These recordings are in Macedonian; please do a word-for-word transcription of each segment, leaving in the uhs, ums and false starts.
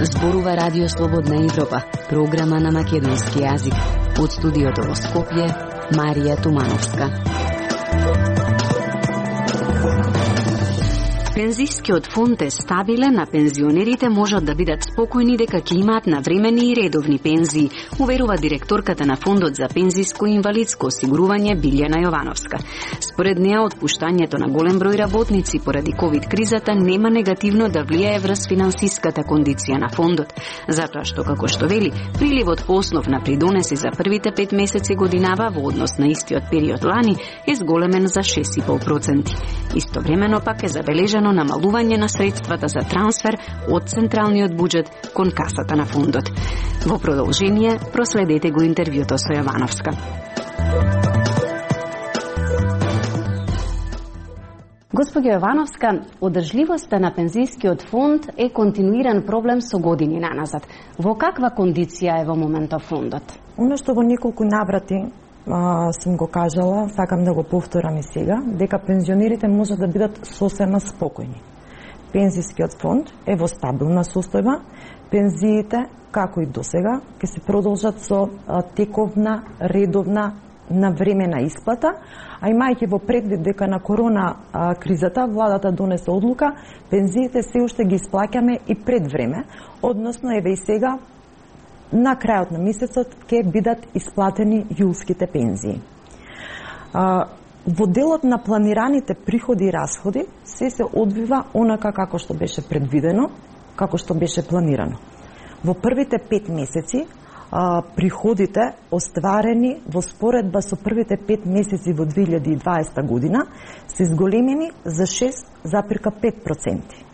Зборува Радио Слободна Европа, програма на македонски јазик. Од студиото во Скопје, Марија Тумановска. Пензискиот фонд е стабилен, а пензионерите можат да бидат спокојни дека ќе имаат навремени и редовни пензии, уверува директорката на Фондот за пензиско и инвалидско осигурување Билјана Јовановска. Според неа, отпуштањето на голем број работници поради ковид кризата нема негативно да влијае врз финансиската кондиција на фондот, затоа што, како што вели, приливот по основ на придонеси за првите пет месеци годинава во однос на истиот период лани е зголемен за шест и пол проценти. Истовремено пак е забележано намалување на средствата за трансфер од централниот буџет кон касата на фондот. Во продолжение, проследете го интервјуто со Јовановска. Господја Јовановска, одржливоста на пензискиот фонд е континуиран проблем со години наназад. Во каква кондиција е во моментов фондот? Оно што во неколку наврати а, сум го кажала, сакам да го повторам и сега, дека пензионерите можат да бидат сосема спокојни. Пензискиот фонд е во стабилна состојба, пензиите, како и досега, ќе се продолжат со а, тековна, редовна, навремена исплата, а имајќи во предвид дека на корона а, кризата владата донесе одлука, пензиите се уште ги исплаќаме и пред време, односно еве и сега на крајот на месецот ќе бидат исплатени јулските пензии. А, во делот на планираните приходи и расходи се се одвива онака како што беше предвидено, како што беше планирано. Во првите пет месеци а, приходите остварени во споредба со првите пет месеци во две илјади и дваесета година се зголемени за шест запирка пет проценти.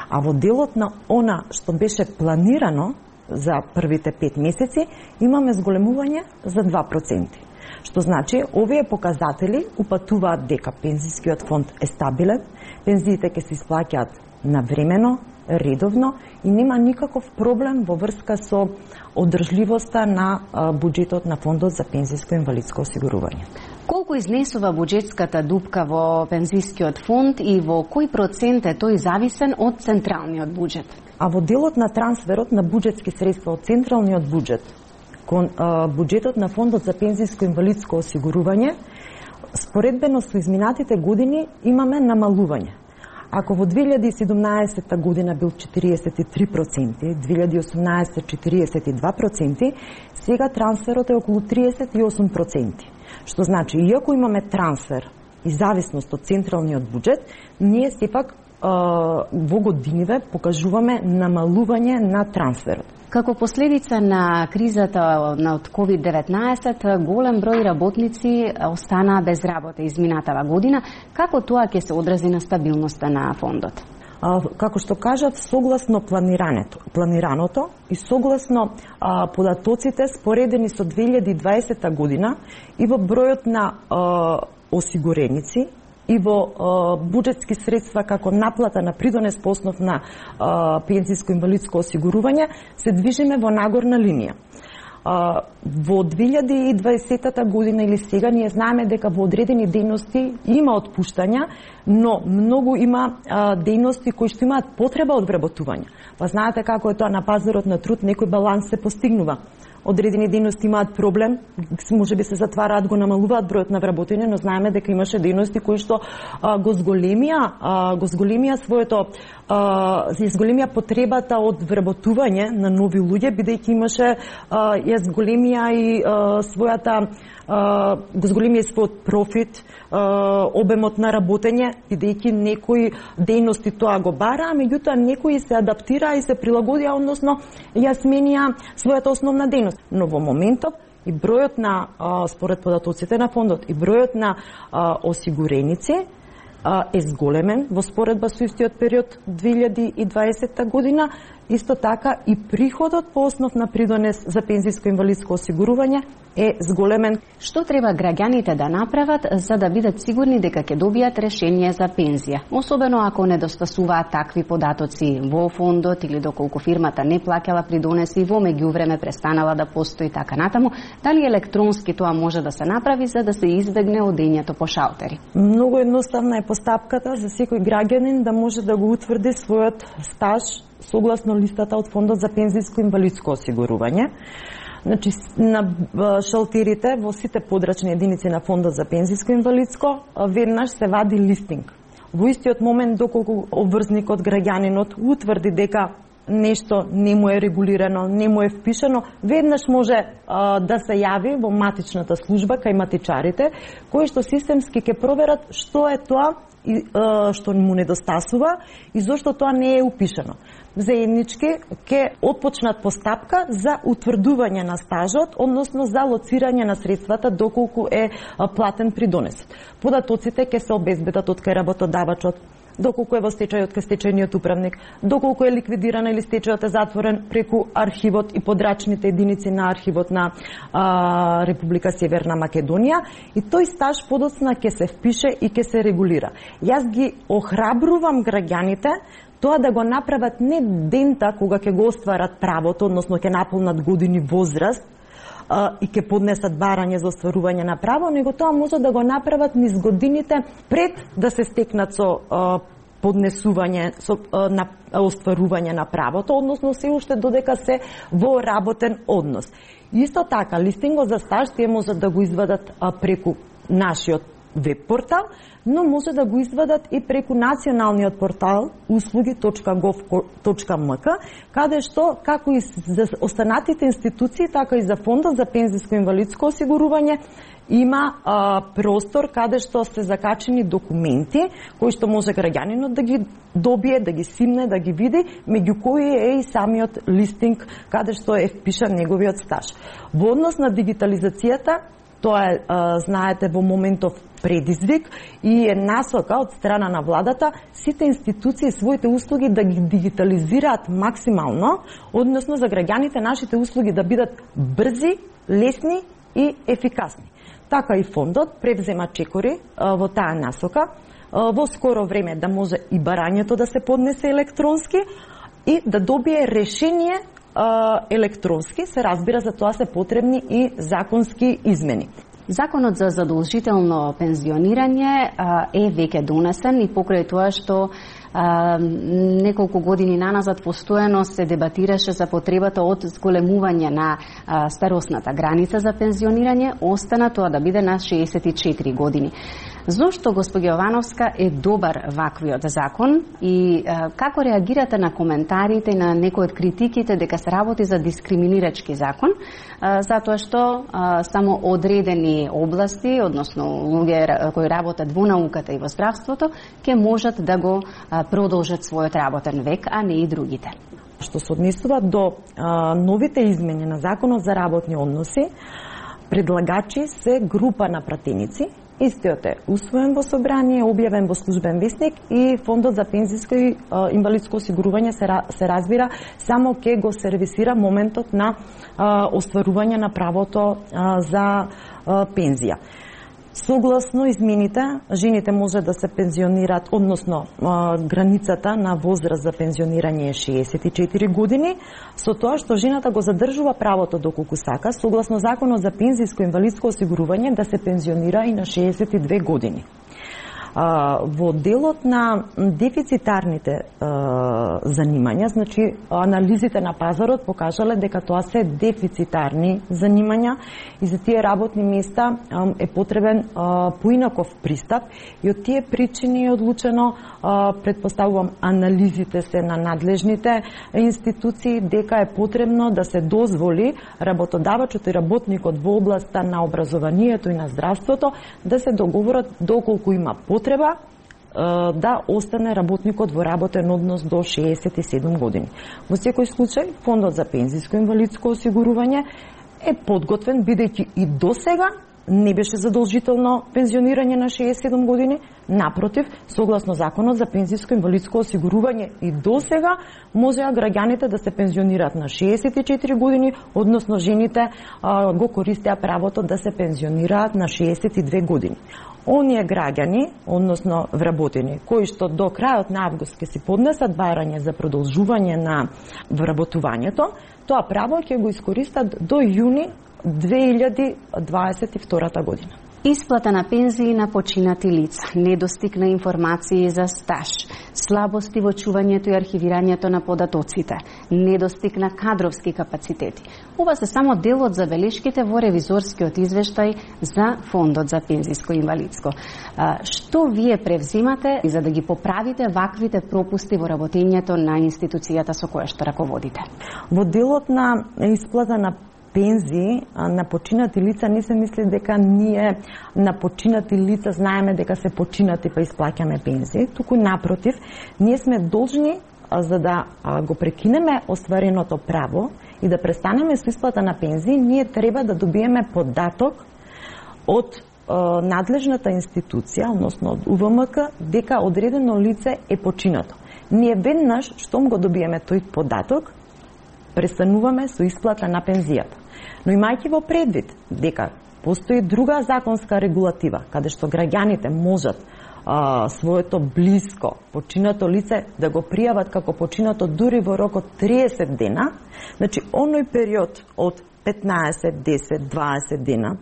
А во делот на она што беше планирано за првите пет месеци имаме зголемување за два проценти. Што значи, овие показатели упатуваат дека пензискиот фонд е стабилен, пензиите ќе се исплаќаат навремено, редовно и нема никаков проблем во врска со одржливоста на буџетот на Фондот за пензиско и инвалидско осигурување. Колку изнесува буџетската дупка во пензискиот фонд и во кој процент е тој зависен од централниот буџет? А во делот на трансферот на буџетски средства од централниот буџет кон а, буџетот на Фондот за пензиско и инвалидско осигурување, споредбено со изминатите години имаме намалување. Ако во две илјади и седумнаесета година бил четириесет и три проценти, две илјади и осумнаесета четириесет и два проценти, сега трансферот е околу триесет и осум проценти. Што значи, иако имаме трансфер и зависност од централниот буџет, ние сепак во годиниве покажуваме намалување на трансферот. Како последица на кризата од ковид деветнаесет, голем број работници останаа без работа изминатава година. Како тоа ќе се одрази на стабилноста на фондот? А, како што кажав, согласно планираното, планираното и согласно а, податоците споредени со две илјади и дваесета година и во бројот на а, осигуреници и во буџетски средства како наплата на придонес по основ на пензиско-инвалидско осигурување, се движиме во нагорна линија. А, во две илјади и дваесета година или сега ние знаеме дека во одредени дејности има отпуштања, но многу има а, дејности кои што имаат потреба од вработување. Па знаете како е тоа на пазарот на труд, некој баланс се постигнува. Одредени дејности имаат проблем, може би се затвараат, го намалуваат бројот на вработени, но знаеме дека имаше дејности кои што а, го зголемија, а, го зголемија своето а, зголемија потребата од вработување на нови луѓе, бидејќи имаше а, ја зголемија и а, својата а, го зголемија својот профит, а, обемот на работење, бидејќи некои дејности тоа го бара, а меѓутоа некои се адаптираа и се прилагодија, односно ја сменија својата основна дејност. Но во моментов и бројот на, според податоците на фондот, и бројот на осигуреници е зголемен во споредба со истиот период две илјади и дваесетта година, исто така и приходот по основ на придонес за пензиско инвалидско осигурување е зголемен. Што треба граѓаните да направат за да бидат сигурни дека ќе добијат решение за пензија, особено ако недостасуваат такви податоци во фондот или доколку фирмата не плаќала придонеси и во меѓувреме престанала да постои така натаму, дали електронски тоа може да се направи за да се избегне одењето по шалтери? Многу едноставна е постапката за секој граѓанин да може да го утврди својот стаж согласно листата од Фондот за пензиско инвалидско осигурување. Значи, на шалтерите во сите подрачни единици на Фондот за пензиско инвалидско веднаш се вади листинг. Во истиот момент доколку обврзникот, граѓанинот утврди дека нешто не му е регулирано, не му е впишано, веднаш може а, да се јави во матичната служба кај матичарите, кои што системски ќе проверат што е тоа и, а, што му недостасува и зошто тоа не е упишано. Заеднички ќе отпочнат постапка за утврдување на стажот, односно за лоцирање на средствата доколку е платен придонесот. Податоците ќе се обезбедат од кај работодавачот, доколку е во стечај од кај стечајниот управник, доколку е ликвидирана или стечајот е затворен преку архивот и подрачните единици на архивот на а, Република Северна Македонија, и тој стаж подоцна ќе се впише и ќе се регулира. Јас ги охрабрувам граѓаните тоа да го направат не дента кога ќе го остварат правото, односно ќе наполнат години возраст а, и ќе поднесат барање за остварување на право, него тоа може да го направат низ годините пред да се стекнат со а, поднесување, со а, на остварување на правото, односно се уште додека се во работен однос. Исто така, листингот за стаж тие можат да го извадат а, преку нашиот веб портал, но може да го извадат и преку националниот портал услуги точка гов точка ем ка, каде што, како и за останатите институции, така и за Фондот за пензиско инвалидско осигурување, има а, простор каде што се закачени документи кои што може граѓанинот да ги добие, да ги симне, да ги види, меѓу кои е и самиот листинг каде што е впишан неговиот стаж. Во однос на дигитализацијата, тоа е, а, знаете, во моментов предизвик и е насока од страна на владата сите институции своите услуги да ги дигитализираат максимално, односно за граѓаните нашите услуги да бидат брзи, лесни и ефикасни. Така и фондот превзема чекори а, во таа насока, а, во скоро време да може и барањето да се поднесе електронски и да добие решение а, електронски, се разбира, за тоа се потребни и законски измени. Законот за задолжително пензионирање а, е веќе донесен и покрај тоа што а, неколку години наназад постојано се дебатираше за потребата од зголемување на а, старосната граница за пензионирање, остана тоа да биде на шеесет и четири години. Зошто, госпоѓа Јовановска, е добар ваквиот закон и а, како реагирате на коментарите и на некои од критиките дека се работи за дискриминирачки закон, а, затоа што а, само одредени области, односно луѓе кои работат во науката и во здравството, ќе можат да го а, продолжат својот работен век, а не и другите? Што се однесува до а, новите измени на Законот за работни односи, предлагачи се група на пратеници. Истиот е усвоен во собрание, објавен во службен весник и Фондот за пензиско и а, инвалидско осигурување се, се разбира само ке го сервисира моментот на а, остварување на правото а, за а, пензија. Согласно измените, жените може да се пензионираат, односно а, границата на возраст за пензионирање е шеесет и четири години, со тоа што жената го задржува правото доколку сака, согласно Законот за пензиско инвалидско осигурување, да се пензионира и на шеесет и две години. А, во делот на дефицитарните а, занимања, значи анализите на пазарот покажале дека тоа се дефицитарни занимања и за тие работни места а, е потребен а, поинаков пристап и од тие причини е одлучено, а, предпоставувам, анализите се на надлежните институции дека е потребно да се дозволи работодавачот и работникот во областа на образованието и на здравството да се договорат доколку има потреба треба да остане работникот во работен однос до шеесет и седум години. Во секој случај, Фондот за пензиско инвалидско осигурување е подготвен, бидејќи и досега не беше задолжително пензионирање на шеесет и седум години, напротив, согласно Законот за пензиско и инвалидско осигурување и досега можеа граѓаните да се пензионираат на шеесет и четири години, односно жените а, го користеа правото да се пензионираат на шеесет и две години. Оние граѓани, односно вработени, кои што до крајот на август ќе си поднесат барање за продолжување на вработувањето, тоа право ќе го искористат до јуни две илјади дваесет и втора година. Исплата на пензии на починати лица, недостиг на информации за стаж, слабости во чувањето и архивирањето на податоците, недостиг на кадровски капацитети. Ова се само дел од забелешките во ревизорскиот извештај за Фондот за пензиско и инвалидско. Што вие превзимате за да ги поправите ваквите пропусти во работењето на институцијата со која што раководите? Во делот на исплата на пензии на починати лица не се мисли дека ние на починати лица знаеме дека се починати па исплаќаме пензии, туку напротив, ние сме должни за да го прекинеме оствареното право и да престанеме со исплата на пензии, ние треба да добиеме податок од надлежната институција, односно од У В М К, дека одредено лице е починато. Ние веднаш штом го добиеме тој податок, престануваме со исплата на пензијата. Но имајќи во предвид дека постои друга законска регулатива, каде што граѓаните можат а, своето блиско починато лице да го пријават како починато дури во рок од триесет дена, значи оној период од петнаесет, десет, дваесет дена,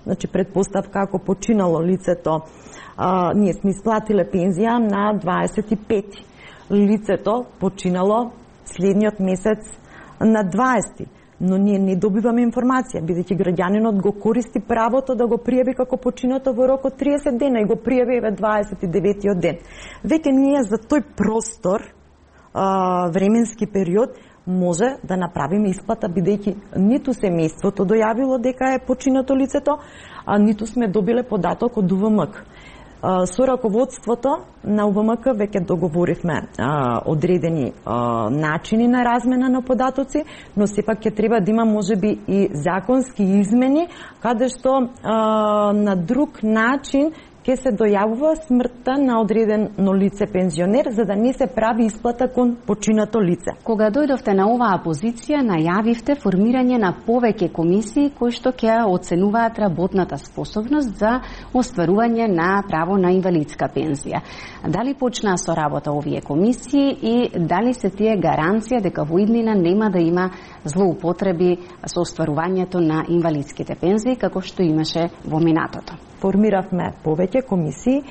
значи предпоставка ако починало лицето, а, ние сме исплатиле пензија на дваесет и пети. Лицето починало следниот месец на дваесети, но ние не добиваме информација, бидејќи граѓанинот го користи правото да го пријави како починато во рок од триесет дена и го пријави еве дваесет и деветиот ден. Веќе ние за тој простор, а, временски период, може да направиме исплата, бидејќи ниту семејството дојавило дека е починато лицето, а ниту сме добиле податок од У В М К. Со раководството на У В М К веќе договоривме а, одредени а, начини на размена на податоци, но сепак ќе треба да има можеби и законски измени, каде што а, на друг начин ќе се дојавува смртта на одредено лице пензионер, за да не се прави исплата кон починато лице. Кога дојдовте на оваа позиција, најавивте формирање на повеќе комисии кои што ќе оценуваат работната способност за остварување на право на инвалидска пензија. Дали почнаа со работа овие комисии и дали се тие гаранција дека во иднина нема да има злоупотреби со остварувањето на инвалидските пензии како што имаше во минатото? Формиравме повеќе комисии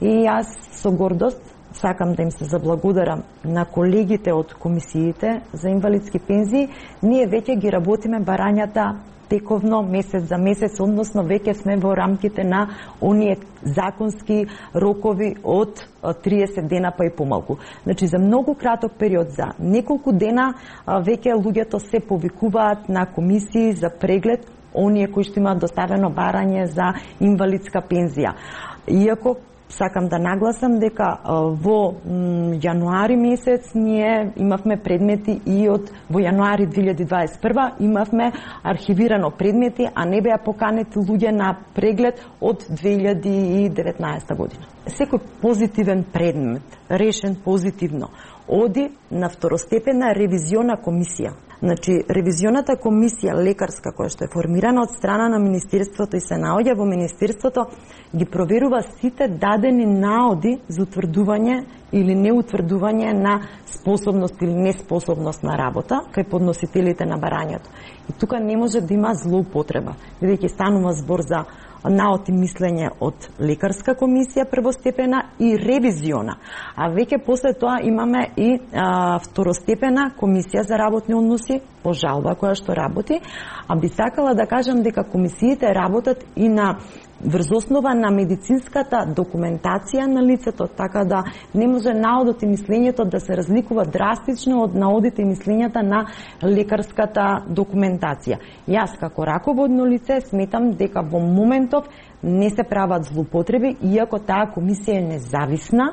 и јас со гордост сакам да им се заблагодарам на колегите од комисиите за инвалидски пензии. Ние веќе ги работиме барањата тековно, месец за месец, односно веќе сме во рамките на оние законски рокови од триесет дена па и помалку. Значи за многу краток период, за неколку дена, веќе луѓето се повикуваат на комисии за преглед, оние кои што имаат доставено барање за инвалидска пензија. Иако сакам да нагласам дека во јануари месец ние имавме предмети и од во јануари две илјади дваесет и прва имавме архивирано предмети, а не беа поканети луѓе на преглед од две илјади и деветнаесета година. Секој позитивен предмет, решен позитивно, оди на второстепена ревизиона комисија. Значи, ревизионата комисија лекарска која што е формирана од страна на Министерството и се наоѓа во Министерството, ги проверува сите дадени наоди за утврдување или неутврдување на способност или неспособност на работа кај подносителите на барањето. И тука не може да има злоупотреба, бидејќи станува збор за наод и мислење од лекарска комисија првостепена и ревизиона. А веќе после тоа имаме и а, второстепена комисија за работни односи по жалба која што работи, а би сакала да кажам дека комисиите работат и на врз основа на медицинската документација на лицето, така да не може наодот и мислењето да се разликува драстично од наодите и мислењата на лекарската документација. Јас како раководно лице сметам дека во моментов не се прават злоупотреби, иако таа комисија е независна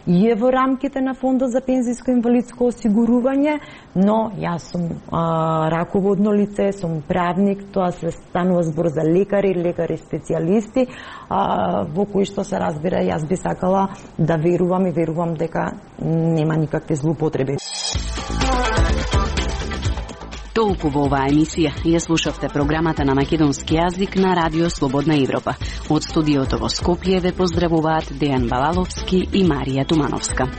и е во рамките на Фондот за пензиско инвалидско осигурување, но јас сум а, раководно лице, сум правник, тоа се станува збор за лекари, лекари специјалисти, а, во кои што се разбира, јас би сакала да верувам и верувам дека нема никакви злоупотреби. Толку во оваа емисија ја слушавте програмата на македонски јазик на Радио Слободна Европа. Од студиото во Скопје ве поздравуваат Дејан Балаловски и Марија Тумановска.